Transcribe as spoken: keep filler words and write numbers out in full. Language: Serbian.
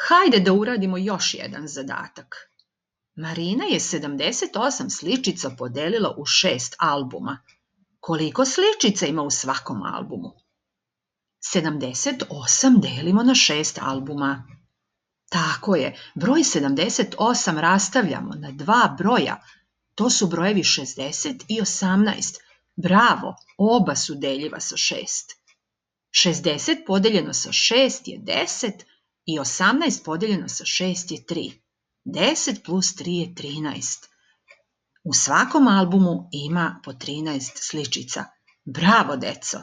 Hajde da uradimo još jedan zadatak. Marina je sedamdeset osam sličica podelila u šest albuma. Koliko sličica ima u svakom albumu? sedamdeset osam delimo na šest albuma. Tako je, broj sedamdeset osam rastavljamo na dva broja. To su brojevi šezdeset i osamnaest. Bravo, oba su deljiva sa šest. šezdeset podeljeno sa šest je deset i osamnaest podeljeno sa šest je tri. deset plus tri je trinaest. U svakom albumu ima po trinaest sličica. Bravo, deco!